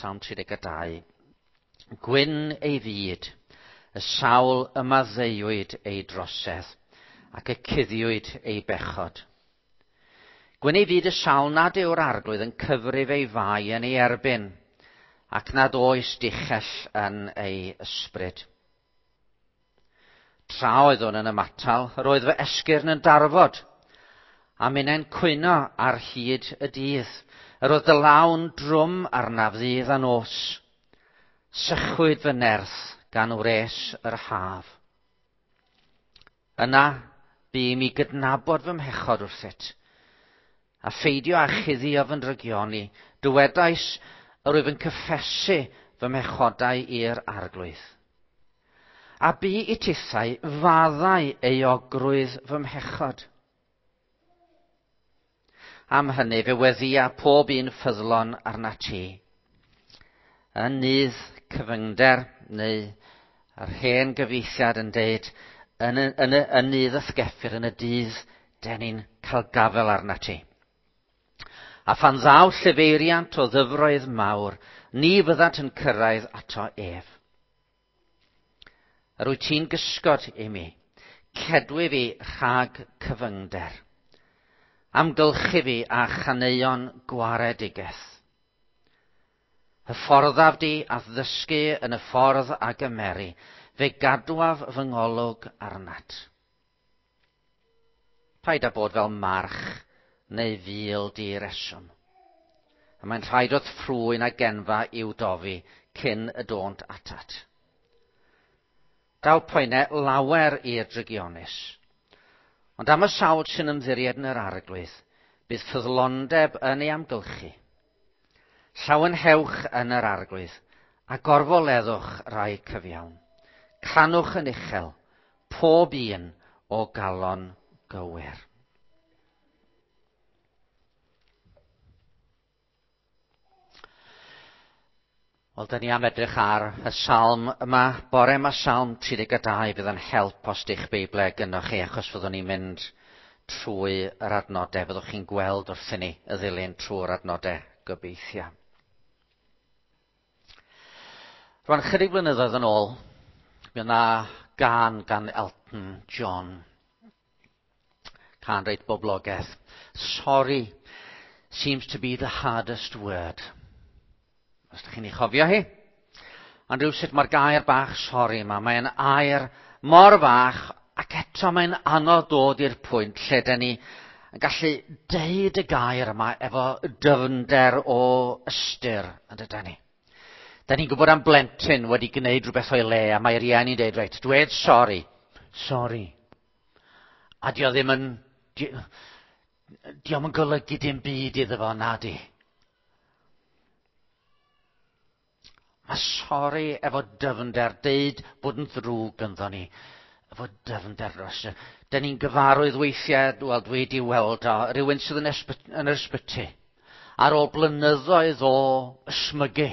Salm 32. Gwyn ei fyd, y sawl y maddeuwyd ei drosedd, ac y cuddiwyd ei bechod. Gwyn ei fyd y sawl nad yw'r Arglwydd yn cyfrif ei fai yn ei erbyn, ac nad oes dichell yn ei ysbryd. Tra oeddwn yn ymatal, yr oedd fy esgyrn yn darfod, a minnau'n cwyno ar hyd y dydd. Yr oedd dy law'n drwm arnaf ddydd a nos. Sychwyd fy nerth gan wres yr haf. Yna, bu i mi gydnabod fy mhechod wrthyt, a pheidio â chuddio fy ndrygioni. Dywedais, yr wyf yn cyffesu fy mhechodau i'r Arglwydd. A bu i tithau faddau euogrwydd fy mhechod. Am hynny fe weddïa pob un ffyddlon arnat ti. Yn nydd cyfyngder, neu yr hen gyfieithiad yn deud, yn, y, yn, y, yn nydd ysgeffir, yn y dydd, den ni'n cael gafel arnat ti. A phan ddaw llefeiriant o ddyfroedd mawr, ni fyddant yn cyrraedd ato ef. Yr wyt ti'n gysgod i mi, cedwi fi rhag cyfyngder. Amgylchu fi â chaneuon gwaredigaeth. Hyfforddaf di a'th ddysgu yn y ffordd a gymeri, fe gadwaf fy ngolwg arnat. Paid â bod fel march neu fil di-reswm. A mae'n rhaid wrth ffrwyn a genfa i'w dofi cyn y dônt atat. Daw poenau lawer i'r drygionus. Ond am y sawl sy'n ymddiried yn yr Arglwydd, bydd ffyddlondeb yn ei amgylchu. Llawenhewch yn yr Arglwydd, a gorfoleddwch rai cyfiawn. Canwch yn uchel, pob un o galon gywir. Wel, da ni am edrych ar y salm yma. Bore yma, Salm 32, fydd yn help os di'ch Beiblau gynnwch chi, achos fyddwn ni'n mynd trwy yr adnodau. Fyddwch chi'n gweld wrthyn ni y ddilyn trwy'r adnodau, gobeithio. Rwan, chydig blynyddoedd yn ôl, mi yna gan gan Elton John. Cân reit boblogaidd. Sorry seems to be the hardest word. Os ydych chi'n ei chofio hi. Ond rhywsut mae'r gair bach sori yma, mae'n air mor fach ac eto mae'n anodd dod i'r pwynt lle dyn ni yn gallu deud y gair yma efo dyfnder o ystyr, yn dydyn ni. Da ni'n gwybod am blentyn wedi gwneud rhywbeth o'i le a mae rieni'n deud, reit, dwed sori. Sori. A di o ddim yn... Di, di o'm yn golygu dim byd iddo fo, na di. Mae sori efo dyfnder, deud bod yn ddrwg ynddo ni, efo dyfnder dros. Da ni'n gyfarwydd weithiau, wel dwi wedi weld o, rhywun sydd yn, yn yr ysbyty, ar ôl blynyddoedd o ysmygu.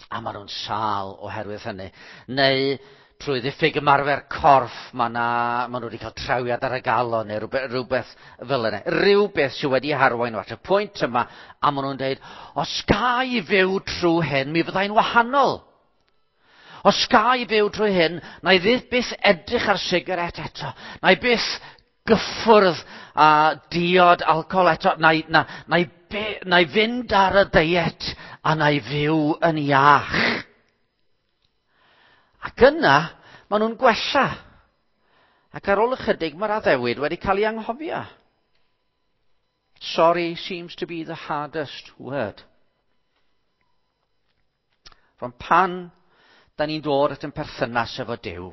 A maen nhw'n sâl oherwydd hynny. Neu trwy ddiffyg ymarfer corff, mae na, maen nhw wedi cael trawiad ar y galon neu rhywbeth, rhywbeth fel yna. Rhywbeth sydd wedi harwain nhw at y pwynt yma, a maen nhw'n dweud, os ga i fyw trwy hyn, mi fyddai'n wahanol. Os ga i fyw trwy hyn, na i fyth byth edrych ar sigaret eto. Na i byth gyffwrdd a diod alcohol eto. Na i, na, na i, be, na i fynd ar y deiet a na i fyw yn iach. Ac yna, maen nhw'n gwella. Ac ar ôl ychydig, mae'r addewid wedi cael ei anghofio. Sorry seems to be the hardest word. Rwan pan da ni'n dod at yn perthynas efo Duw,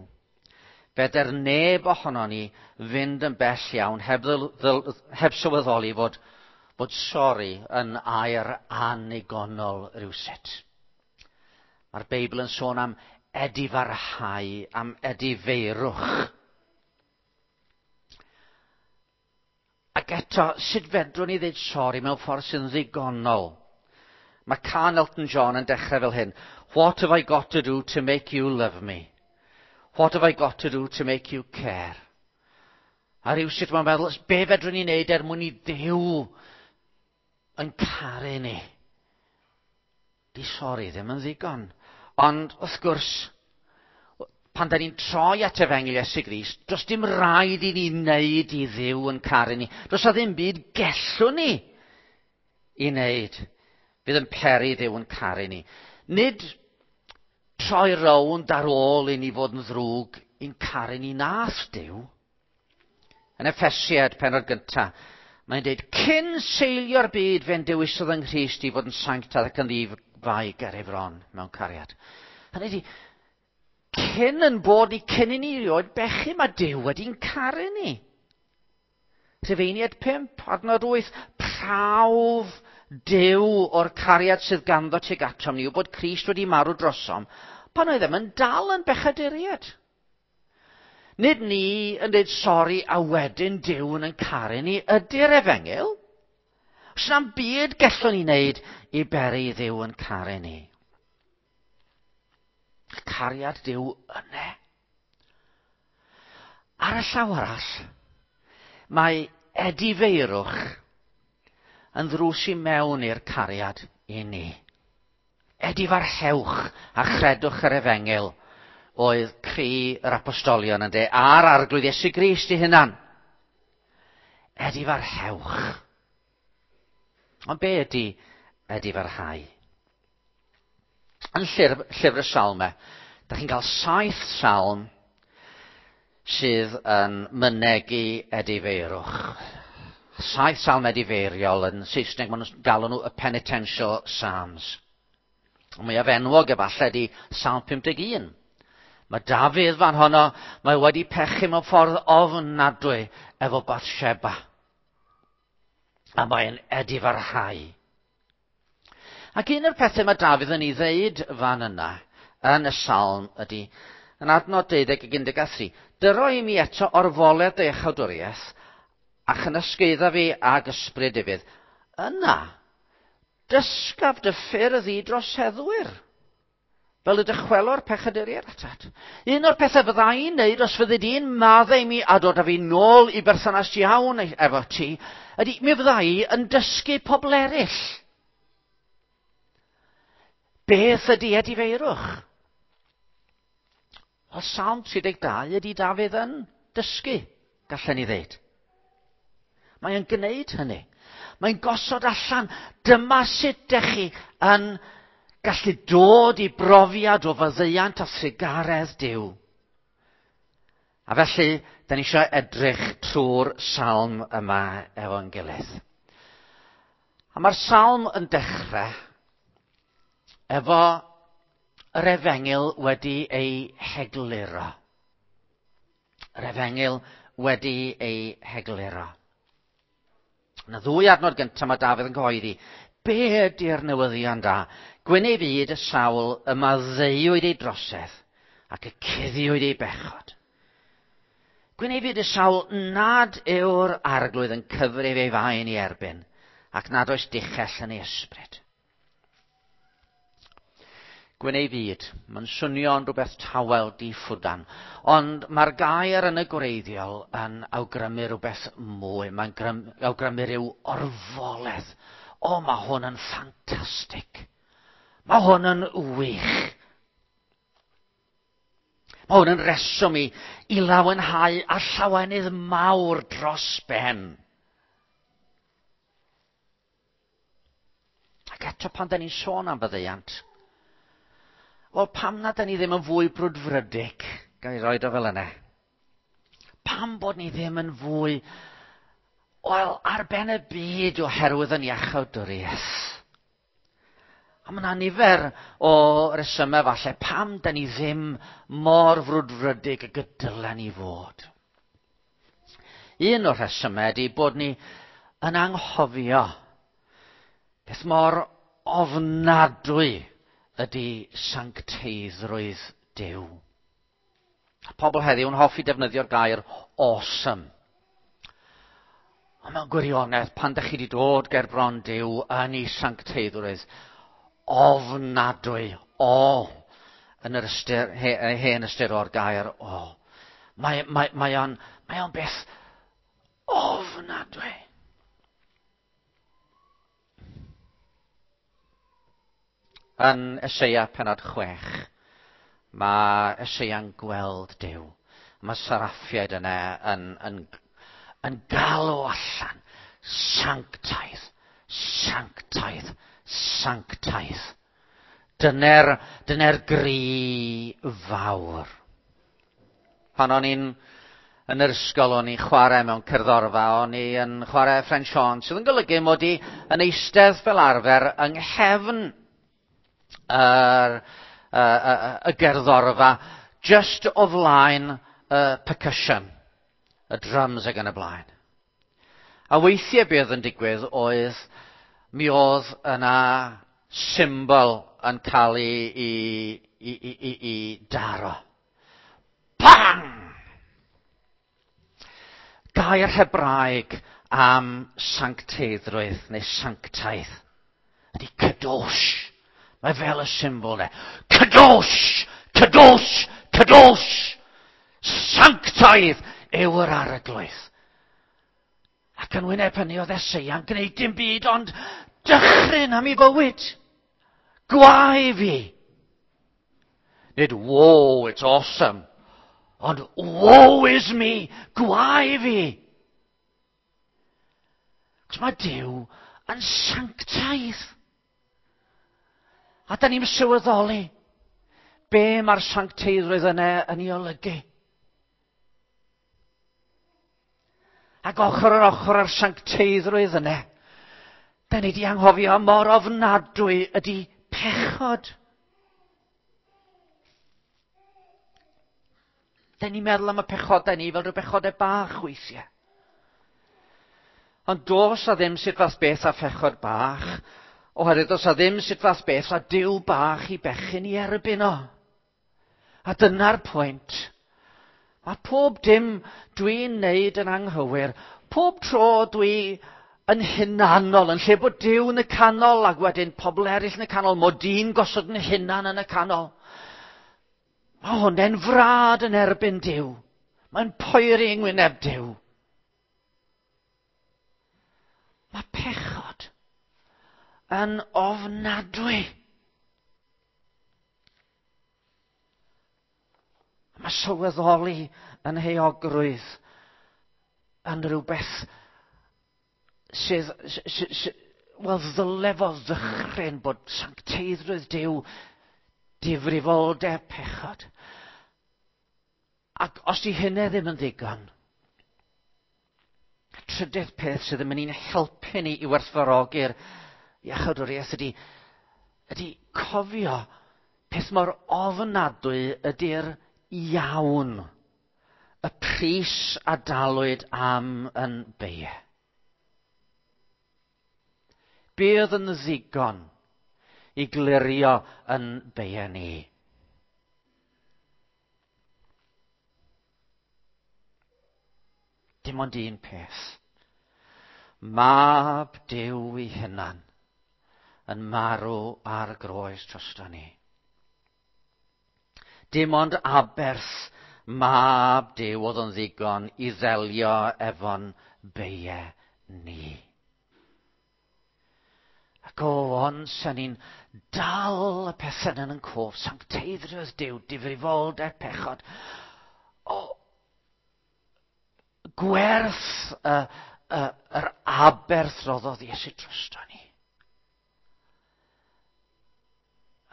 feder neb ohono ni fynd yn bell iawn heb, ddil, heb sylweddoli fod, bod sori yn air annigonol rhywsut. Mae'r Beibl yn sôn am edifarhau, am edifeirwch. Ac eto, sut fedrwn ni ddeud sori mewn ffordd sy'n ddigonol? Mae cân Elton John yn dechrau fel hyn. What have I got to do to make you love me? What have I got to do to make you care? A rhywsut mae'n meddwl, be fedrwn ni wneud er mwyn i Dduw yn caru ni? Dydy sori ddim yn ddigon. Ond, wrth gwrs, pan da ni'n troi at Efengyl Iesu Grist, does dim rhaid i ni wneud i Dduw yn caru ni. Does 'na ddim byd gellwn ni i wneud fydd yn peri Dduw yn caru ni. Nid troi rownd ar ôl i ni fod yn ddrwg i'n caru ni nath Duw. Yn Effesiaid pennod gynta, mae'n dweud, cyn seilio'r byd fe'n dewisodd yng Nghrist i fod yn sanctaidd ac yn ddi-fai ger ei fron mewn cariad. Hynny ydi, cyn yn bod ni, cyn i ni rioed bechu, mae Duw wedi'n caru ni. Rhufeiniaid 5, adnod 8, prawf Duw o'r cariad sydd ganddo tuag atom ni yw bod Crist wedi marw drosom pan oeddem yn dal yn bechaduriaid. Nid ni yn dweud sori a wedyn Duw yn ein caru ni ydy'r efengyl. Os na'm byd gellwn ni wneud i beri i Dduw yn caru ni. Cariad Duw yne. Ar y llaw arall, mae edifeirwch yn ddrws i mewn i'r cariad i ni. Edifarhewch a chredwch yr efengyl oedd cri yr apostolion ynde, a'r Arglwydd Iesu Grist ei hunan. Edifarhewch. Ond be ydy edifarhau? Yn llyfr, llyfr y Salmau, da chi'n cael 7 salm sydd yn mynegi edifeirwch. 7 salm edifeiriol, yn Saesneg maen nhw'n galw nhw y Penitential Psalms. Y mwyaf enwog efallai ydy Salm 51. Mae Dafydd fan honno, mae wedi pechu mewn ffordd ofnadwy efo Bathsheba. A mae'n edifarhau. Ac un o'r pethau mae Dafydd yn ei ddeud fan yna, yn y salm, ydy, yn adnod 12 ac 13, dyro i mi eto orfoledd dy iachawdwriaeth, a chynysgaedda fi ag ysbryd ufudd. Yna, dysgaf dy ffyrdd i droseddwyr, fel y dychwelo'r pechaduriaid atat. Un o'r pethau fydda i'n neud os fyddi di'n maddau i mi a dod â fi nôl i berthynas iawn efo ti, ydy mi fydda i yn dysgu pobl eraill. Beth ydy edifeirwch? Wel, Salm 32 ydy Dafydd yn dysgu, gallen ni ddeud. Mae yn gwneud hynny. Mae'n gosod allan, dyma sut dych chi yn gallu dod i brofiad o faddeuant a thrugaredd Duw. A felly, da ni eisiau edrych trwy'r salm yma efo'n gilydd. A mae'r salm yn dechrau efo yr efengyl wedi ei hegluro. Yr efengyl wedi ei hegluro. Yna ddwy adnod gyntaf mae Dafydd yn cyhoeddi. Be ydy'r newyddion da? Gwyn ei fyd y sawl y maddeuwyd ei drosedd ac y cuddiwyd ei bechod. Gwyn ei fyd y sawl nad yw'r arglwydd yn cyfrif ei faen i erbyn ac nad oes dichell yn ei ysbryd. Gwyn ei fyd, mae'n swnio'n rhywbeth tawel di-ffwdan, ond mae'r gair yn y gwreiddiol yn awgrymu rhywbeth mwy, mae'n awgrymu rhyw orfoledd. O, mae hwn yn ffantastig. Mae hwn yn wych. Mae hwn yn reswm i, i lawenhau a llawenydd mawr dros ben. Ac eto pan da ni'n sôn am faddeuant, wel pam na da ni ddim yn fwy brwdfrydig, gan i roed o fel yna? Pam bod ni ddim yn fwy, wel, ar ben y byd oherwydd yn iachawdwriaeth? A mae yna nifer o resymau falle pam da ni ddim mor frwdfrydig ag y dylen ni fod. Un o'r rhesymau ydy bod ni yn anghofio beth mor ofnadwy ydy sancteiddrwydd Duw. Pobl heddiw yn hoffi defnyddio'r gair awesome. Ond mewn gwirionedd, pan ydych chi wedi dod ger bron Duw yn ei sancteiddrwydd, ofnadwy, o, yn yr ystyr, he, hen ystyr o'r gair o. Mae, mae, mae o'n, mae o'n beth ofnadwy. Yn Eseia penod 6, mae Eseia'n gweld Duw. Mae saraffiaid yna yn galw allan, sanctaidd, sanctaidd, sanctaidd. Dyna'r gri fawr. Pan o'n i'n yn yr ysgol, o'n i'n chwarae mewn cerddorfa, o'n i yn chwarae French horn, sydd yn golygu mod i yn eistedd fel arfer yng nghefn y gerddorfa, just o flaen y percussion, y drums ac yn y blaen. A weithiau beth yn digwydd oedd, mi oedd yna symbol yn cael ei daro. Bang! Gair Hebraeg am sancteiddrwydd neu sanctaidd ydy kadosh. Mae fel y symbol ne. Kadosh! Kadosh! Kadosh! Sanctaidd yw yr arglwydd. Ac yn wyneb hynny oedd Eseia'n gwneud dim byd ond dychryn am ei fywyd. Gwae fi. Nid woe, it's awesome. Ond woe is me, gwae fi. Cos mae Duw yn sanctaidd. A da ni'n sylweddoli be mae'r sancteiddrwydd yna yn ei olygu. Ac ochr yn ochr â'r sancteiddrwydd yna, da ni di anghofio mor ofnadwy ydy pechod. Da ni'n meddwl am y pechodau ni fel rhyw bechodau bach weithiau. Ond does a ddim sut fath beth a phechod bach, oherwydd does a ddim sut fath beth a Duw bach i bechyn i erbyn o. A dyna'r pwynt. Mae pob dim dwi'n neud yn anghywir, pob tro dwi yn hunanol, yn lle bod Duw yn y canol ac wedyn pobl eraill yn y canol, mod i'n gosod yn hunan yn y canol. Mae hwnna'n frad yn erbyn Duw. Mae'n poeri yng ngwyneb Duw. Mae pechod yn ofnadwy. Mae sylweddoli yn heogrwydd yn rhywbeth sydd, wel, ddyle fo ddychryn bod sancteiddrwydd Duw, difrifoldeb pechod. Ac os di hynny ddim yn ddigon, y trydydd peth sydd yn mynd i'n helpu ni i werthfawrogi'r iachawdwriaeth ydy cofio peth mor ofnadwy ydy'r iawn, y pris a dalwyd am yn beie. Be oedd yn ddigon i glirio yn beie ni? Dim ond un peth. Mab Duw ei hunan yn marw ar y groes drosto ni. Dim ond aberth Mab Duw oedd yn ddigon i ddelio efo'n beie ni. Ac o, ond sy'n ni'n dal y pethau yn yn cof, sancteiddrwydd Duw, difrifoldeb pechod. O, gwerth yr aberth roddodd Iesu drosto ni.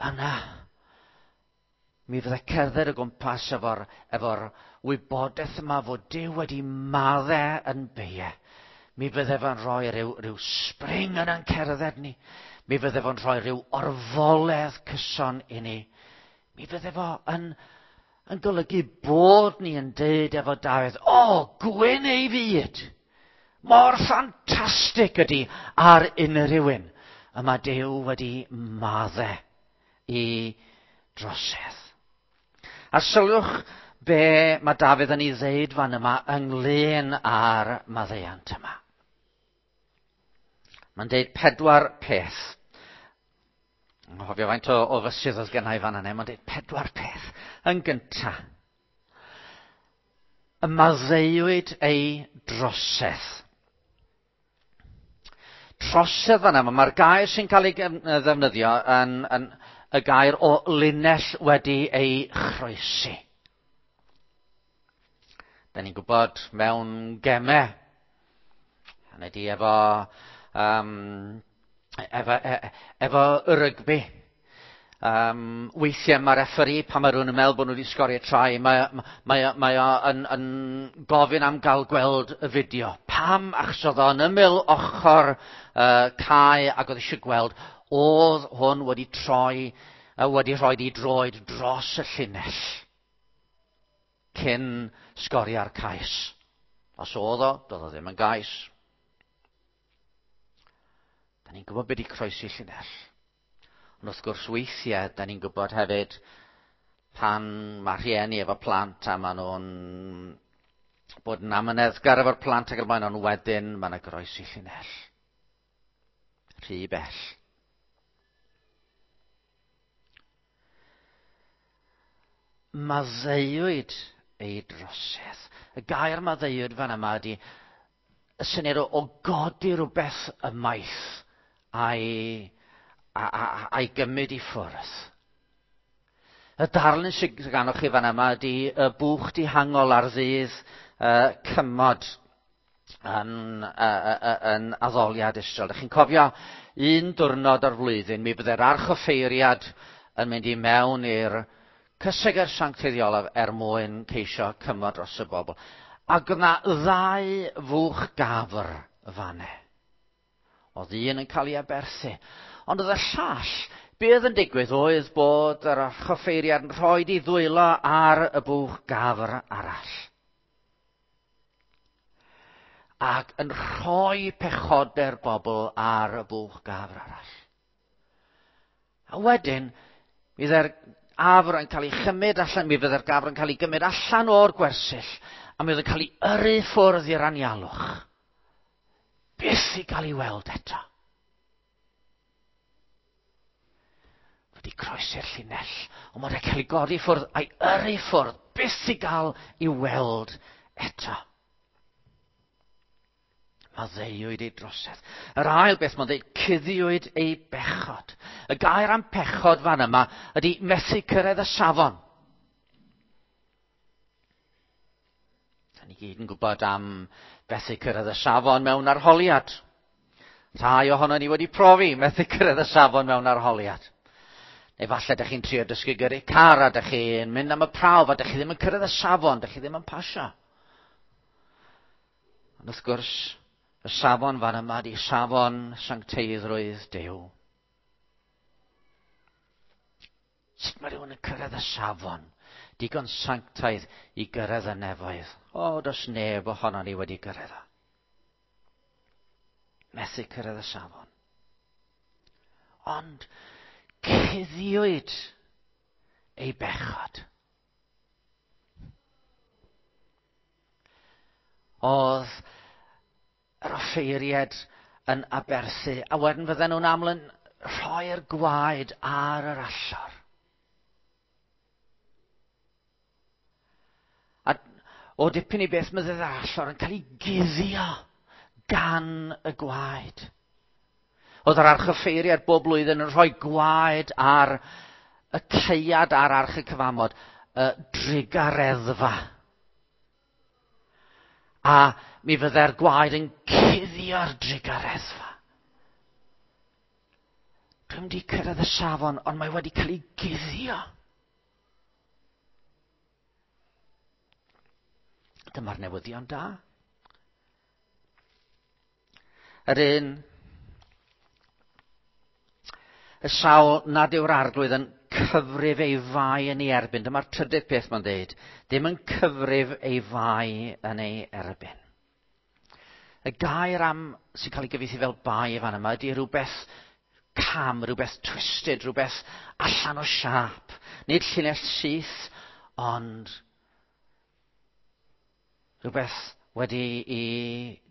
Yna, mi fydde cerdded o gwmpas efo'r wybodaeth yma fod Duw wedi maddau yn beie. Mi fydde fo'n rhoi rhyw spring yn ein cerdded ni. Mi fydde fo'n rhoi rhyw orfoledd cyson i ni. Mi fydde fo yn golygu bod ni yn deud efo Dafydd, o, gwyn ei fyd! Mor ffantastig ydy ar unrhyw un. Y mae Duw wedi maddau i drosedd. A sylwch be mae Dafydd yn ei ddeud fan yma ynglyn â'r maddeuant yma. Mae'n deud 4 peth. Nghofio faint o fysydd oedd gennau fan yna. Mae'n deud 4 peth. Yn gynta, y maddeuwyd ei drosedd. Trosedd fan yma, mae'r gair sy'n cael ei ddefnyddio y gair o linell wedi ei chroesi. Da ni'n gwybod mewn gemau, hynny ydi efo, um, efo, e, efo y rygbi. Weithiau mae referee, pan mae rhywun yn meddwl bod nhw wedi sgorio try, mae, mae, mae o yn, yn gofyn am gael gweld y fideo. Pam? Achos oedd o'n ymyl ochr cae ac oedd eisiau gweld, oedd hwn wedi troi, wedi rhoi i droed dros y llinell cyn sgorio'r cais. Os oedd o, doedd o ddim yn gais. Da ni'n gwybod beth i croesi llinell. Ond wrth gwrs weithiau, da ni'n gwybod hefyd pan mae rhieni efo plant a maen nhw'n bod yn amyneddgar efo'r plant ac yn blaen, ond wedyn mae yna groesi llinell. Rhy bell. Maddeuwyd ei drosedd. Y gair maddeuwyd fan yma ydy y syniad o, o godi rhywbeth ymaith a'i, a, a, a'i gymryd i ffwrdd. Y darlun sydd ganoch chi fan yma ydy y bwch dihangol ar ddydd cymod yn, yn addoliad Israel. Dych chi'n cofio un diwrnod o'r flwyddyn, mi fydde'r archoffeiriad yn mynd i mewn i'r cysegr sancteiddiolaf er mwyn ceisio cymod dros y bobl. Ac oedd yna ddau fwch gafr fanne. Oedd un yn cael ei aberthu. Ond oedd y llall, be oedd yn digwydd oedd bod yr archoffeiriad yn rhoi ei ddwylo ar y bwch gafr arall. Ac yn rhoi pechodau'r bobl ar y bwch gafr arall. A wedyn, mi fydde'r afr yn cael ei chymryd allan, mi fydde'r gafr yn cael ei gymryd allan o'r gwersyll, a mi oedd yn cael ei yrru ffwrdd i'r anialwch. Byth i gael ei weld eto. Wedi croesi'r llinell, ond mae'n cael ei godi ffwrdd a'i yrru ffwrdd, byth i gael ei weld eto. Maddeuwyd ei drosedd. Yr ail beth mae'n dweud, cuddiwyd ei bechod. Y gair am pechod fan yma ydy methu cyrraedd y safon. Da ni gyd yn gwybod am fethu cyrraedd y safon mewn arholiad. Rhai ohono ni wedi profi methu cyrraedd y safon mewn arholiad. Neu falle ydych chi'n trio dysgu gyrru car a ydych chi'n mynd am y prawf a ydych chi ddim yn cyrraedd y safon, ydych chi ddim yn pasio. Ond wrth gwrs, y safon fan yma di safon sancteiddrwydd Duw. Sut mae rhywun yn cyrraedd y safon digon sanctaidd i gyrraedd y nefoedd? O, does neb ohono ni wedi gyrraedd o. Methu cyrraedd y safon. Ond cuddiwyd ei bechod. Oedd yr offeiriad yn aberthu, a wedyn fydden nhw'n aml yn rhoi'r gwaed ar yr allor. A o dipyn i beth mae yr allor yn cael ei guddio gan y gwaed. Oedd yr archoffeiriad bob blwyddyn yn rhoi gwaed ar y caead ar arch y cyfamod, y drugareddfa. A mi fydde'r gwaed yn cuddio'r drugareddfa. Dwi'm di cyrraedd y safon, ond mae wedi cael ei guddio. Dyma'r newyddion da. Yr un y sawl nad yw'r arglwydd yn cyfrif ei fai yn ei erbyn. Dyma'r trydydd peth mae'n dweud. Ddim yn cyfrif ei fai yn ei erbyn. Y gair am sy'n cael ei gyfieithu fel bai fan yma ydy rhywbeth cam, rhywbeth twisted, rhywbeth allan o siâp. Nid llinell syth, ond rhywbeth wedi i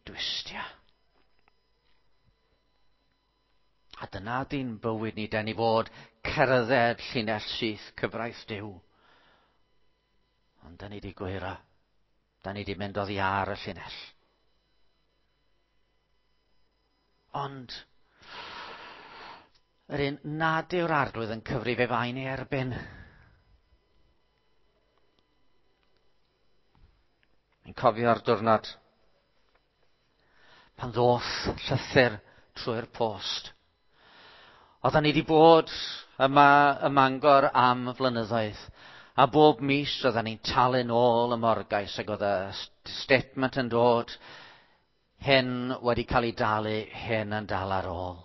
dwistio. A dyna di'n bywyd ni, den ni fod cerdded llinell syth cyfraith Duw. Ond da ni di gwyro. Da ni di mynd oddi ar y llinell. Ond Yr un nad yw'r arglwydd yn cyfrif ei fain ei erbyn. Yn cofio'r diwrnod pan ddoth llythyr trwy'r post. Oedden ni wedi bod yma ym Mangor am flynyddoedd, a bob mis oedden ni'n talu nôl y morgais ac oedd y statement yn dod, hyn wedi cael ei dalu, hyn yn dal ar ôl.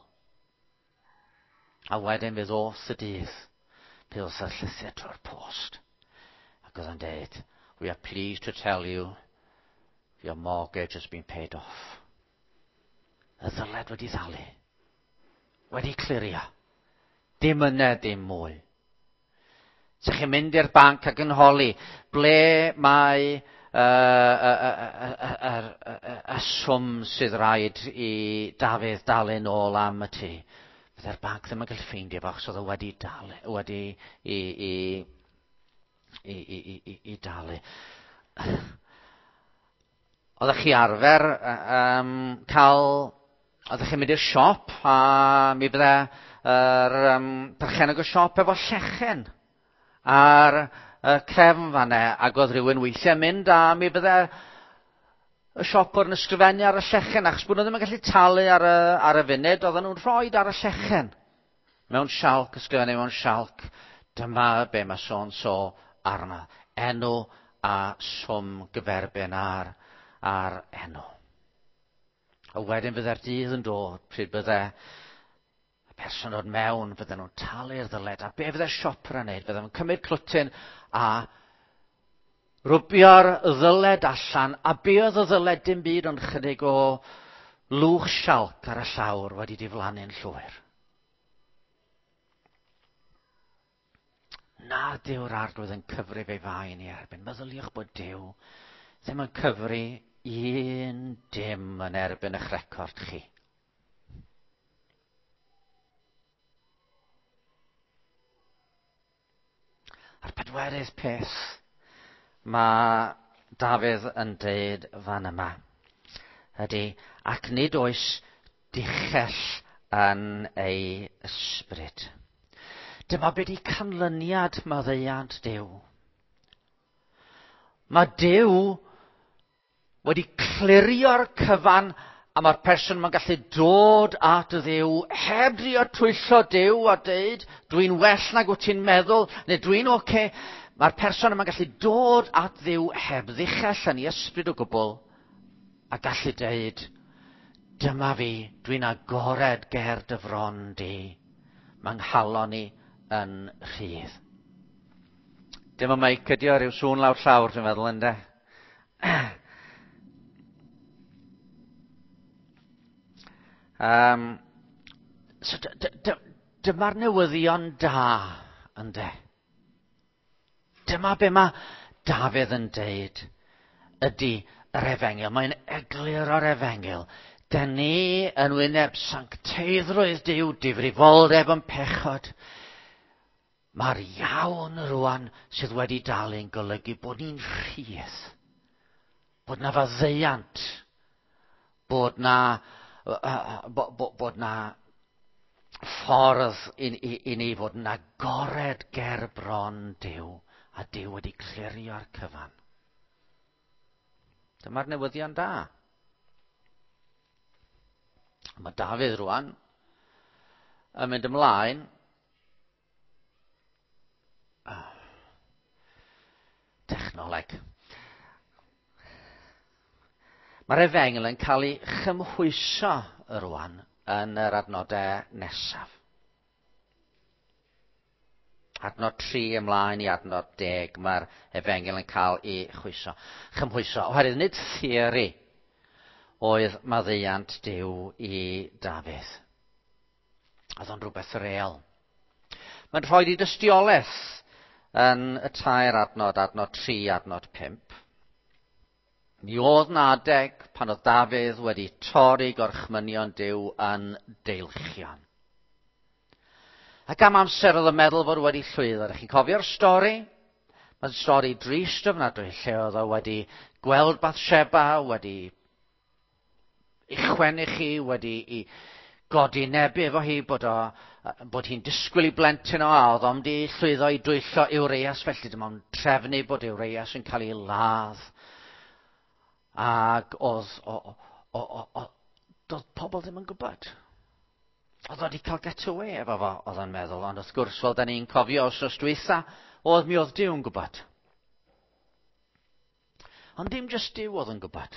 A wedyn fe ddoth y dydd, pe oedd y llythyr trwy'r post. Ac oedd yn dweud, we are pleased to tell you your mortgage has been paid off. Y ddyled wedi ddalu. Wedi clirio. Dim yna, dim mwy. Sa'ch chi'n mynd i'r banc ac yn holi, ble mae y swm sydd rhaid i Dafydd dalu nôl am y tŷ. Bydde'r banc ddim yn gallu ffeindio fo, achos oedd o wedi dalu, wedi i, i, i, i, i, i, i dalu. Oeddech chi arfer um, cael... Oeddech chi'n mynd i'r siop a mi fydde yr um, perchennog y siop efo llechen ar y crefn fanne, ac oedd rhywun weithiau mynd a mi fydde y siopwr yn ysgrifennu ar y llechen, achos bod nhw ddim yn gallu talu ar y, ar y funud, oedden nhw'n rhoi ar y llechen. Mewn sialc, ysgrifennu mewn sialc, dyma be mae so so arno. Enw a swm gyferbyn ar, ar enw. A wedyn fydde'r dydd yn dod pryd bydde y person dod mewn, fydden nhw'n talu'r ddyled. A be fydde'r siopr yn neud? Fydden nhw'n cymryd clwtyn a rwbio'r ddyled allan, a be oedd y ddyled dim byd ond chydig o lwch sialc ar y llawr wedi diflannu'n llwyr. Nad yw'r arglwydd yn cyfrif ei fain i erbyn. Meddyliwch bod Duw ddim yn cyfri un dim yn erbyn eich record chi. A'r pedwerydd peth mae Dafydd yn deud fan yma ydy, ac nid oes dichell yn ei ysbryd. Dyma be di canlyniad maddeuant Duw. Mae Duw wedi clirio'r cyfan a mae'r person mae'n gallu dod at y Dduw heb drio twyllo Duw a deud dwi'n well nag wyt ti'n meddwl neu dwi'n oce. Okay. Mae'r person yma'n gallu dod at Dduw heb ddichell yn ei ysbryd o gwbl a gallu deud dyma fi, dwi'n agored ger dy fron di. Mae nghalon i yn rhydd. Dim y meic ydi o, rhyw sŵn lawr llawr dwi'n meddwl, ynde? Um, so dyma'r newyddion da, ynde? Dyma be mae Dafydd yn deud ydy yr efengyl. Mae'n eglur o'r efengyl. Dyn ni yn wyneb sancteiddrwydd Duw, difrifoldeb yn pechod. Mae'r iawn rwan sydd wedi dalu'n golygu bod ni'n rhydd. Bod na faddeuant. Bod na, bod na ffordd i, i, i ni fod yn agored ger bron Duw. A Duw wedi clirio'r cyfan. Dyma'r newyddion da. Mae Dafydd rwan yn mynd ymlaen technoleg. Mae'r efengyl yn cael ei chymhwyso rwan yn yr adnodau nesaf. Adnod 3 ymlaen i adnod 10 mae'r efengyl yn cael ei chwyso. Chymhwyso. Oherwydd nid theori oedd maddeuant Duw i Dafydd. Oedd o'n rhywbeth real. Mae'n rhoi i dystiolaeth yn y tair adnod, adnod 3, adnod 5. Mi oedd na adeg pan oedd Dafydd wedi torri gorchmynion Duw yn deilchion. Ac am amser oedd yn meddwl fod wedi llwyddo. Ydych chi'n cofio'r stori? Mae'n stori drist ofnadwy lle oedd o wedi gweld Bathsheba, wedi i chwennu chi, wedi i godinebu efo hi, bod hi'n disgwyl i blentyn o, a oedd o'n di llwyddo i dwyllo Urias, felly dyma o'n trefnu bod Urias yn cael ei ladd. Ac oedd, doedd pobl ddim yn gwybod. Oedd o wedi cael get away efo fo, oedd o'n meddwl, ond wrth gwrs, fel da ni'n cofio wythnos dwytha, oedd mi oedd Duw yn gwybod. Ond dim jyst Duw oedd yn gwybod.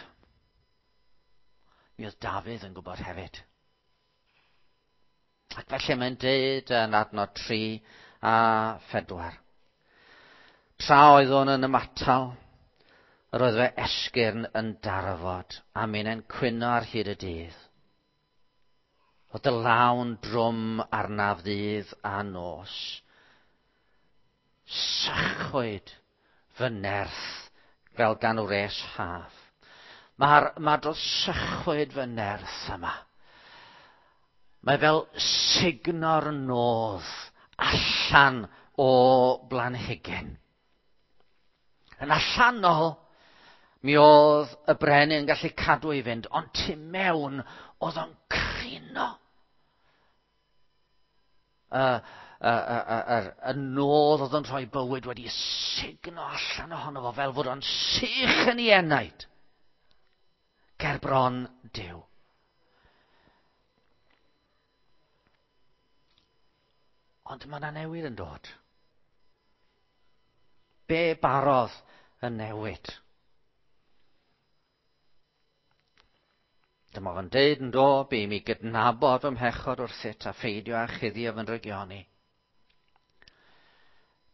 Mi oedd Dafydd yn gwybod hefyd. Ac felly mae'n deud yn adnod 3 a 4. Tra oeddwn yn ymatal, yr oedd fy esgyrn yn darfod, a minnau'n cwyno ar hyd y dydd. Oedd dy law'n drwm arnaf ddydd a nos. Sychwyd fy nerth fel gan wres haf. Mae'r dros sychwyd fy nerth yma. Mae fel sugno'r nodd allan o blanhigyn. Yn allanol, mi oedd y brenin yn gallu cadw i fynd, ond tu mewn oedd o'n crino. Y nodd oedd yn rhoi bywyd wedi sugno allan ohono fo fel fod o'n sych yn ei enaid ger bron Duw. Ond mae yna newid yn dod. Be barodd y newid? Dyma fo'n deud yn do, bu i mi gydnabod fy mhechod wrthyt a pheidio â chuddio fy ndrygioni.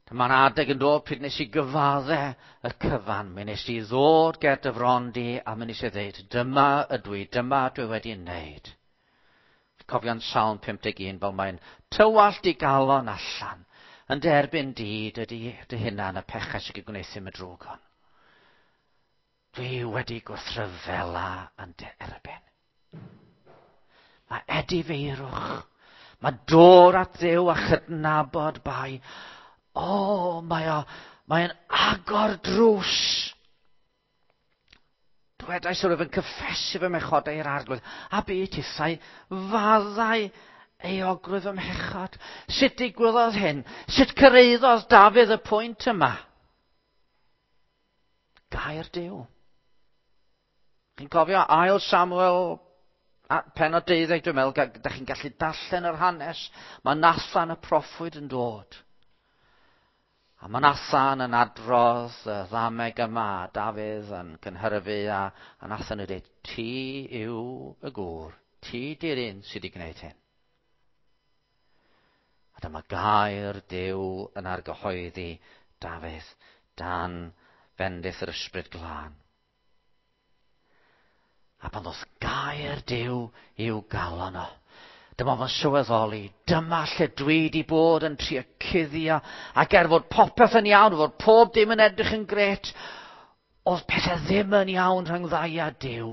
Dyma'n adeg yn dod pryd nes i gyfadde y cyfan. Mi nes i ddod ger dy fron di a mi nes i ddeud, dyma ydw i, dyma dwi wedi wneud. Cofio'n Salm 51 fel mae'n tywallt i galon allan, yn derbyn di, dy hunan, y pechau sy'n gwneud y drwg hon. Dwi wedi gwrthryfela yn dy erbyn. Mae edifeirwch, mae dod at Dduw a chydnabod bai. O, mae'n agor drws. Dwedais wrth yn cyffesu fy mhechodau i'r Arglwydd, a bu tithau faddau euogrwydd fy mhechod. Sut digwyddodd hyn? Sut cyrhaeddodd Dafydd y pwynt yma? Gair Duw. Chi'n cofio ail Samuel, pennod 12, dwi'n meddwl, da chi'n gallu darllen yr hanes. Mae Nathan y proffwyd yn dod. A mae Nathan yn adrodd y ddameg yma, a Dafydd yn cynhyrfu, a Nathan yn dweud, ti yw y gŵr, ti di'r un sydd wedi gwneud hyn. A dyma gair Duw yn argyhoeddi Dafydd dan fendith yr Ysbryd Glân. A pan ddoth gair Duw i'w galon o, dyma fo'n sylweddoli, dyma lle dwi wedi bod yn trio cuddio, ac er fod popeth yn iawn, fod pob dim yn edrych yn grêt, oedd pethau ddim yn iawn rhwng ddau a Duw.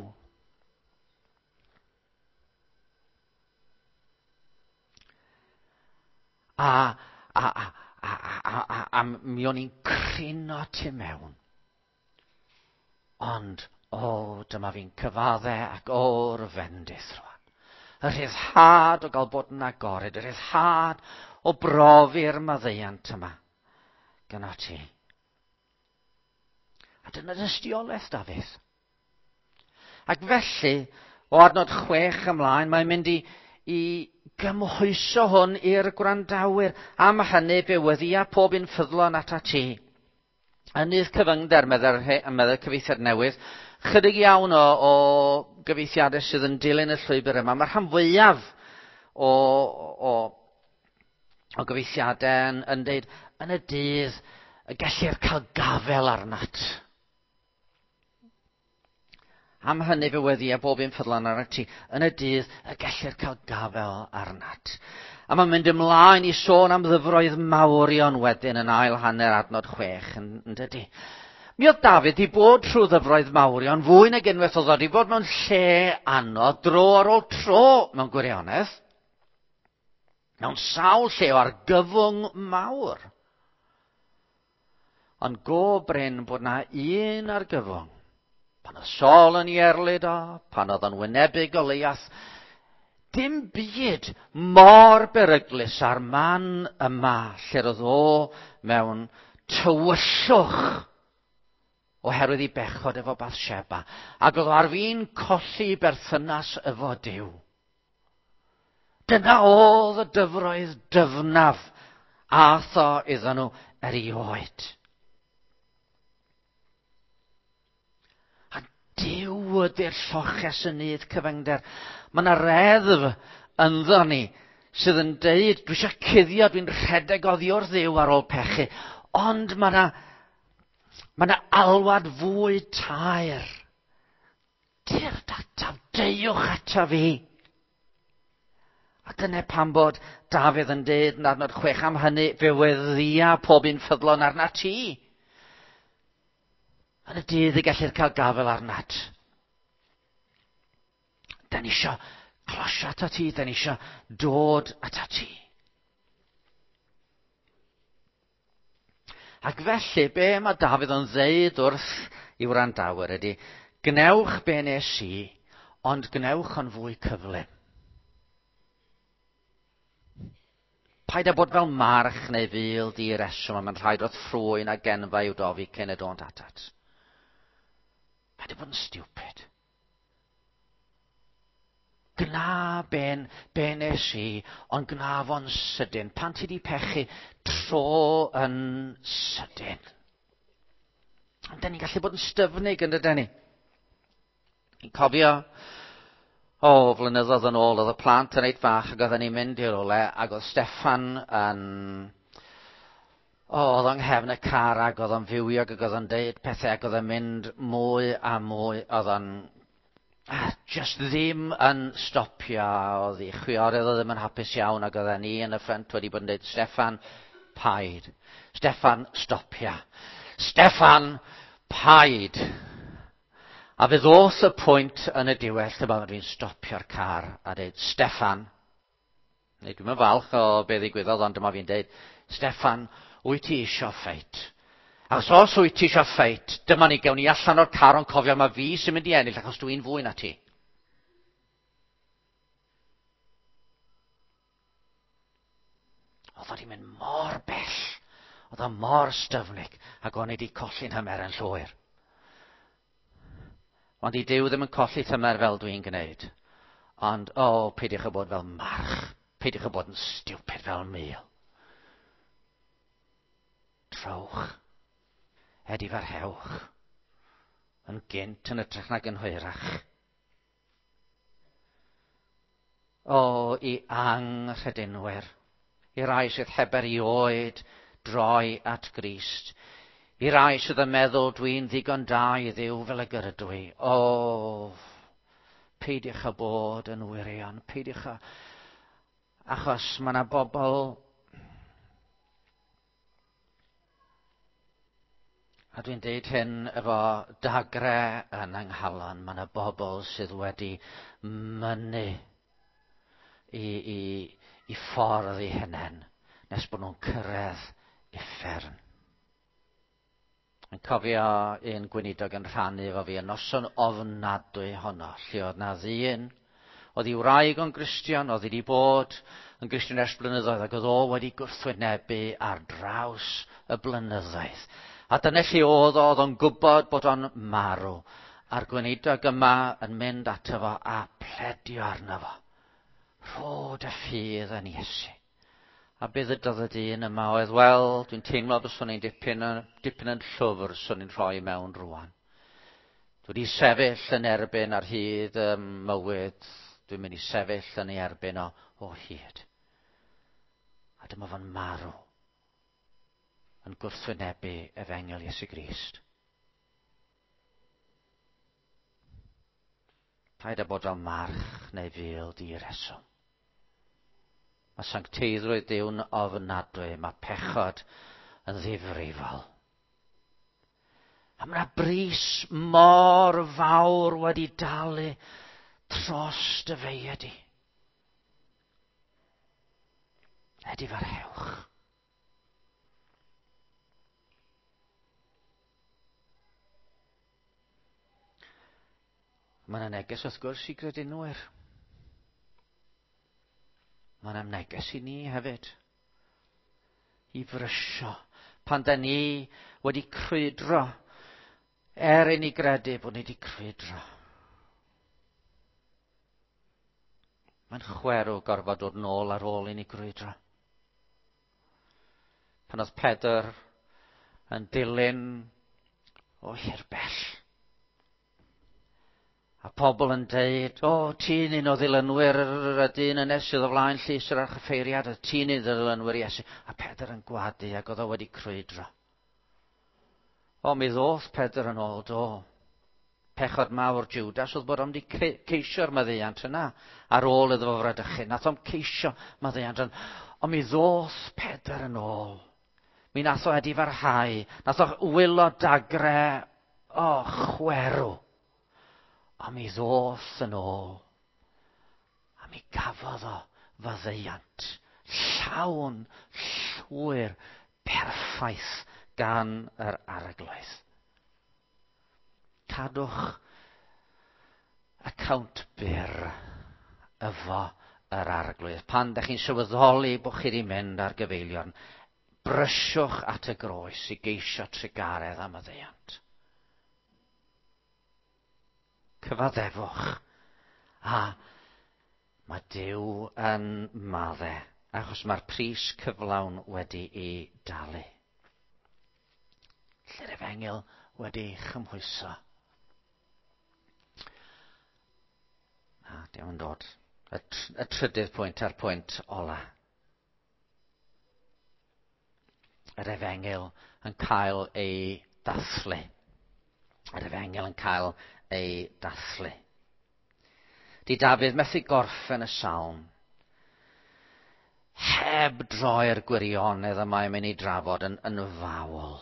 A mi o'n i'n crino tu mewn. Ond, o, dyma fi'n cyfadde ac o'r fendith rwan. Y rhyddhad o gael bod yn agored, y rhyddhad o brofi'r maddeuant yma gyda ti. A dyna dystiolaeth Dafydd. Ac felly, o adnod 6 ymlaen, mae'n mynd i gymhwyso hwn i'r gwrandawyr. Am hynny, fe weddïa pob un ffyddlon atat ti. Yn nydd cyfyngder, meddai'r cyfieithiad newydd, chydig iawn o gyfieithiadau sydd yn dilyn y llwybr yma. Mae'r rhan fwyaf o gyfieithiadau yn dweud, yn y dydd y gellir cael gafel arnat. Am hynny fe weddïa bob un ffyddlon arnat ti, yn y dydd y gellir cael gafel arnat. A mae'n mynd ymlaen i sôn am ddyfroedd mawrion wedyn yn ail hanner adnod 6, yn dydy. Mi oedd Dafydd wedi bod trwy ddyfroedd mawrion fwy nag unwaith, oedd wedi bod mewn lle anodd dro ar ôl tro mewn gwirionedd. Mewn sawl lle o argyfwng mawr. Ond go brin bod na un argyfwng. Pan oedd Saul yn ei erlid o, pan oedd o'n wynebu Goliath, Dim byd mor beryglus â'r man yma lle roedd o mewn tywyllwch oherwydd ei bechod efo Bathsheba, ac oedd o ar fin colli berthynas efo Duw. Dyna oedd y dyfroedd dyfnaf ath o iddyn nhw erioed. A Duw ydy'r lloches yn nydd cyfyngder. Mae yna reddf ynddo ni sydd yn deud, dwi eisiau cuddio, dwi'n rhedeg oddi wrth Dduw ar ôl pechu. Ond mae yna mae yna alwad fwy taer. Tyrd ataf, deuwch ataf fi. A dyna pam bod Dafydd yn deud yn adnod 6 am hynny, fe weddia pob un ffyddlon arnat ti. Yn y dydd y gellir cael gafael arnat. Da ni eisiau closio atat ti, da ni eisiau dod atat ti. Ac felly, be mae Dafydd yn ddeud wrth i wrandawyr ydy, gwnewch be nes i, ond gwnewch yn fwy cyflym. Paid â bod fel march neu ful di reswm a mae'n rhaid wrth ffrwyn a genfa i'w dofi cyn y dont atat. Paid â bod yn stupid. Gna ben, be nes i, ond gna fo'n sydyn. Pan ti di pechu, tro yn sydyn. Ond da ni'n gallu bod yn styfnig yn dydyn ni. Ni'n cofio, o, flynyddoedd yn ôl, oedd y plant yn reit fach ac oedden ni'n mynd i rywle ac oedd Steffan yn... O, oedd o'n nghefn y car ac oedd o'n fywiog ac oedd o'n deud pethau ac oedd o'n mynd mwy a mwy, oedd o'n just ddim yn stopio. Oedd ei chwiorydd o ddim yn hapus iawn ac oedden ni yn y ffrynt wedi bod yn deud, Steffan, paid. Steffan, stopia. Steffan, paid. A fe ddoth y pwynt yn y diwedd lle mae fi'n stopio'r car a dweud, Steffan, neu dwi'n falch o be ddigwyddodd, ond dyma fi'n deud, Steffan, wyt ti isio ffeit? Achos os wyt ti isio ffeit, dyma ni, gewn ni allan o'r car ond cofio mae fi sy'n mynd i ennill achos dwi'n fwy na ti. Oedd o wedi mynd mor bell, oedd o mor styfnig, ac o'n i wedi colli'n hymer yn llwyr. Ond i Duw ddim yn colli tymer fel dwi'n gwneud. Ond, o, oh, peidiwch â bod fel march. Peidiwch â bod yn stupid fel mul. Trowch. Edifarhewch. Yn gynt yn ytrach nag yn hwyrach. O, i anghredinwyr. I rai sydd heb erioed droi at Grist. I rai sydd yn meddwl dwi'n ddigon da i Dduw fel y gyrydw i. O, peidiwch â bod yn wirion, peidiwch â... Achos mae yna bobl... A dwi'n deud hyn efo dagre yn yng nghalon, mae yna bobl sydd wedi mynnu i, i, i ffordd eu hunain nes bod nhw'n cyrraedd uffern. Yn cofio un gweinidog yn rhannu efo fi y noson ofnadwy honno, lle oedd na ddyn, oedd ei wraig o'n Gristion, oedd wedi bod yn Gristion ers blynyddoedd, ac oedd o wedi gwrthwynebu ar draws y blynyddoedd. A dyna lle oedd o, oedd o'n gwybod bod o'n marw. A'r gweinidog yma yn mynd ato fo a pledio arno fo. Rho dy ffydd yn Iesu. A be ddydodd y dyn yma oedd, wel, dwi'n teimlo fyswn i'n dipyn, dipyn yn llwfr swn i'n rhoi mewn rwan. Dwi wedi sefyll yn erbyn ar hyd y mywyd, dwi'n mynd i sefyll yn ei erbyn o, o hyd. A dyma fo'n marw yn gwrthwynebu efengyl Iesu Grist. Paid â bod fel march neu ful di reswm. Mae sancteiddrwydd Duw'n ofnadwy, mae pechod yn ddifrifol. A mae yna bris mor fawr wedi dalu dros dy feia di. Edifarhewch. Mae yna neges wrth gwrs i gredinwyr. Mae'n neges i ni hefyd. I frysio. Pan da ni wedi crwydro, er i ni gredu bod ni wedi crwydro. Mae'n chwerw gorfod dod nôl ar ôl i ni grwydro. Pan oedd Pedr yn dilyn o hirbell, a pobl yn deud, o, ti'n un o ddilynwyr y dyn yna sydd o flaen llys yr archoffeiriad, a ti'n un o ddilynwyr Iesu. A Pedr yn gwadu ac oedd o wedi crwydro. O, mi ddoth Pedr yn ôl, do. Pechod mawr Judas oedd bod o'n wedi ceisio'r maddeuant yna ar ôl iddo fo fradychu. Nath o'm ceisio maddeuant yna. Ond mi ddoth Pedr yn ôl. Mi nath o edifarhau. Nath o wylo dagre, o, chwerw. A mi ddoth yn ôl. A mi gafodd o faddeuant llawn, llwyr, perffaith gan yr Arglwydd. Cadwch account byr efo yr Arglwydd. Pan ydych chi'n sylweddoli bod chi wedi mynd ar gyfeiliorn, brysiwch at y groes i geisio trugaredd a maddeuant. Cyfaddefwch. A mae Duw yn madde, achos mae'r pris cyflawn wedi'i dalu. Lle'r efengyl wedi chymhwyso. Na, diolch yn dod. Y trydydd pwynt a'r pwynt ola. Yr efengyl yn cael ei dathlu. Yr efengyl yn cael ei dathlu. Di Dafydd methu gorffen y salm heb droi'r gwirionedd y mae'n mynd i drafod yn fawl.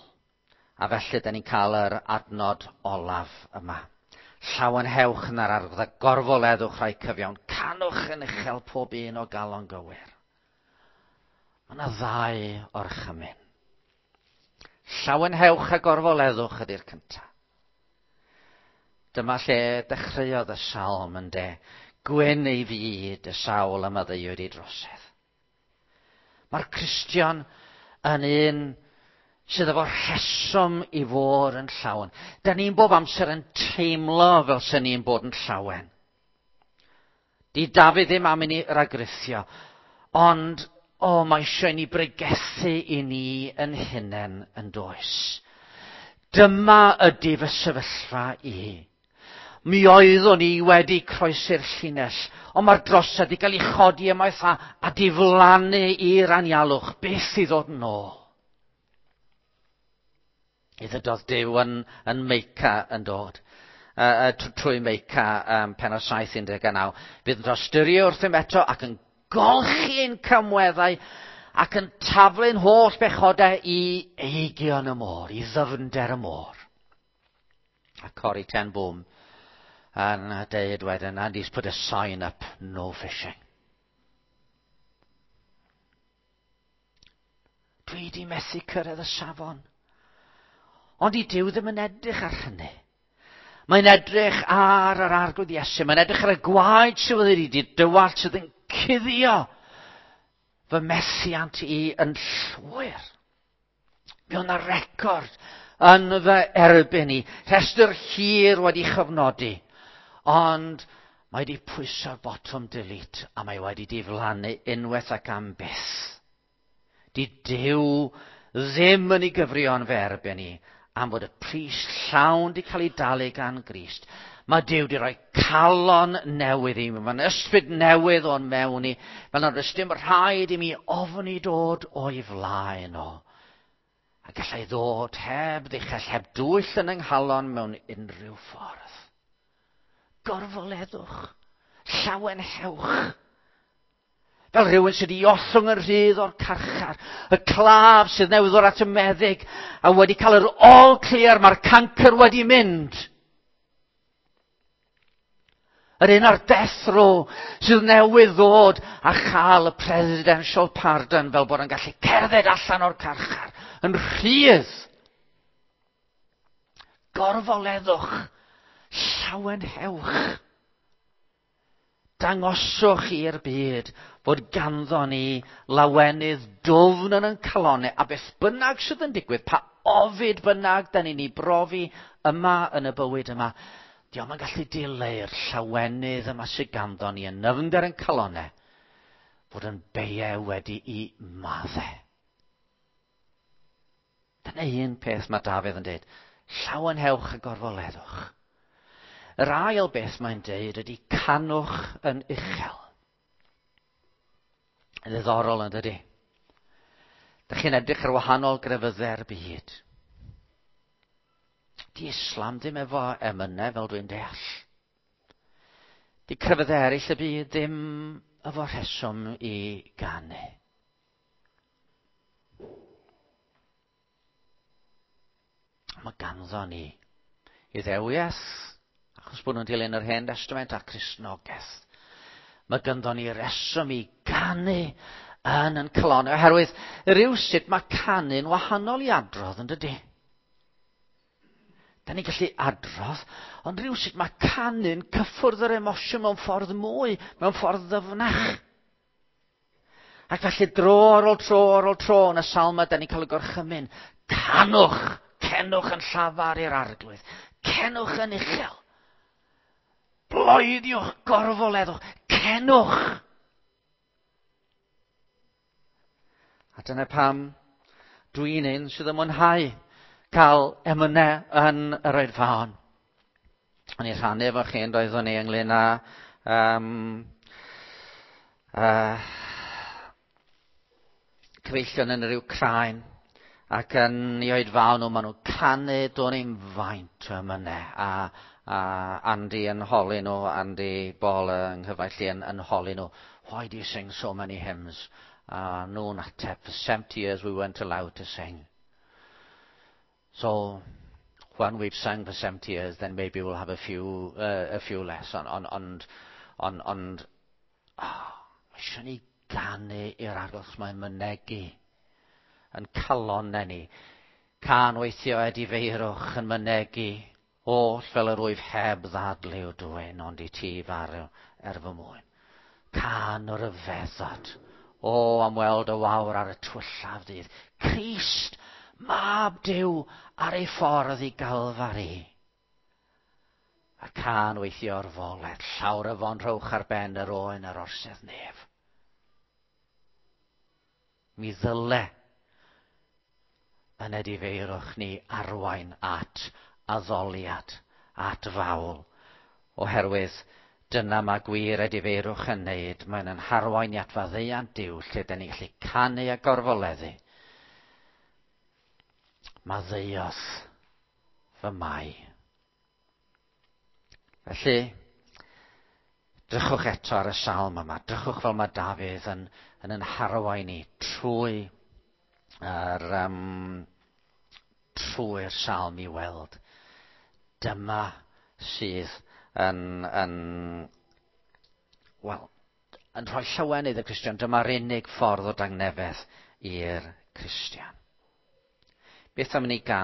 A felly, da ni'n cael yr adnod olaf yma. Llawenhewch yn yr Arglwydd a gorfoleddwch rhai cyfiawn. Canwch yn uchel pob un o galon gywir. Mae yna ddau orchymyn. Llawenhewch a gorfoleddwch ydy'r cyntaf. Dyma lle dechreuodd y salm yn de. Gwyn ei fyd y sawl a maddeuwyd ei drosedd. Mae'r Cristion yn un sydd efo rheswm i fod yn llawen. Da ni'n bob amser yn teimlo fel sy'n ni'n bod yn llawen. Di Dafydd ddim am i ni ragrithio, ond o, mae eisiau ni bregethu i ni yn hunain yn does. Dyma ydy fy sefyllfa i. Mi oeddwn i wedi croesi'r llinell, ond mae'r drosedd wedi cael ei chodi ymaith a diflannu i'r anialwch, byth i ddod yn ôl. I ddydodd Duw yn Meica yn dod. Trwy Meica pennod 7:19. Bydd yn tosturio wrthym eto ac yn golchi'n camweddau ac yn taflu'n holl bechodau i eigion y môr, i ddyfnder y môr. A Corrie ten Boom yn deud wedyn, and he's put a sign up, no fishing. Dwi di methu cyrraedd y safon. Ond i Duw ddim yn edrych ar hynny. Mae'n edrych ar yr Arglwydd Iesu. Mae'n edrych ar y gwaed sydd wedi dywallt sydd yn cuddio fy methiant i yn llwyr. Mi oedd 'na record yn fy erbyn i. Rhestr hir wedi chyfnodi. Ond mae wedi pwyso'r botwm delete a mae wedi diflannu unwaith ac am byth. Di Duw ddim yn ei gyfrion fy erbyn i am fod y pris llawn di cael ei dalu gan Grist. Mae Duw di roi calon newydd i mi. Mae'n ysbryd newydd o'n mewn i. Fel nad oes dim rhaid i mi ofni dod o'i flaen o. A gallai ddod heb ddichell, heb dwyll yn yng nghalon mewn unrhyw ffordd. Gorfoleddwch, llawenhewch. Fel rhywun sydd wedi ollwng yn rhydd o'r carchar, y claf sydd newydd ddod at y meddyg a wedi cael yr all clear, mae'r cancr wedi mynd. Yr un ar death row sydd newydd ddod a chael y presidential pardon fel bod yn gallu cerdded allan o'r carchar yn rhydd. Gorfoleddwch, llawenhewch. Dangoswch i'r byd fod ganddo ni lawenydd dwfn yn ein calonau, a beth bynnag sydd yn digwydd, pa ofid bynnag da ni'n ei brofi yma yn y bywyd yma, dio'm yn gallu dileu'r llawenydd yma sydd ganddo ni yn nyfnder yn calonau, fod yn beiau wedi'i maddau. Dyna un peth mae Dafydd yn dweud, llawenhewch a gorfoleddwch. Yr ail beth mae'n deud ydy canwch yn uchel. Yn ddiddorol yn dydy. Dych chi'n edrych ar wahanol grefyddau'r byd. Di Islam ddim efo emynau fel dwi'n deall. Di crefyddau eraill y byd ddim efo rheswm i ganu. Mae ganddo ni Iddewiaeth, achos bod nhw'n dilyn yr Hen Testament a Cristnogaeth. Mae ganddo ni reswm i ganu yn yn calon, oherwydd rhywsut mae canu'n wahanol i adrodd, yn dydy? Da ni'n gallu adrodd, ond rhywsut mae canu'n cyffwrdd yr emosiwn mewn ffordd mwy, mewn ffordd ddyfnach. Ac felly dro ar ôl tro ar ôl tro yn y salm yma, da ni'n cael y gorchymyn. Canwch! Cenwch yn llafar i'r arglwydd. Cenwch yn uchel. Bloeddiwch, gorfoleddwch. Cenwch! A dyna pam dwi'n un sydd yn mwynhau cael emynau yn yr oedfaon. O'n i'n rhannu efo chi yn doeddwn ni ynglyn â um, cyfeillion yn yr Wcráin ac yn i oedfaon nhw, maen nhw'n canu do'n i'n faint o emynau a, a Andy yn holi nhw, Andy Ball yng nghyfaill i yn, yn holi nhw, why do you sing so many hymns? A nhw'n ateb, for 70 years we weren't allowed to sing. So, when we've sung for 70 years, then maybe we'll have a few, a few less. Ond, ond, ond, ond, ond oh, mae eisiau ni ganu i'r arglwydd, mae'n mynegi yn calonnau ni. Cân weithio edifeirwch yn mynegi oll fel yr wyf heb ddadlu dwyn, ond i ti farw er fy mwyn. Cân o ryfeddod. O, am weld y wawr ar y twyllaf ddydd. Crist, mab Duw, ar ei ffordd i Galfari. A cân weithio o'r foledd, llawr y fon rhowch ar ben yr oen ar orsedd nef. Mi ddyle yn edifeirwch ni arwain at addoliad, at fawl, oherwydd dyna mae gwir edifeirwch yn neud. Mae'n yn harwain i at faddeuant Duw, lle dyn ni'n gallu canu a gorfoleddu. Maddeuodd fy mai. Felly, drychwch eto ar y salm yma. Drychwch fel mae Dafydd yn, yn yn harwain ni trwy yr, um, trwy'r salm i weld. Dyma sydd yn, yn, wel, yn rhoi llawenydd y Cristion. Dyma'r unig ffordd o dangnefedd i'r Cristion. Beth am ni gan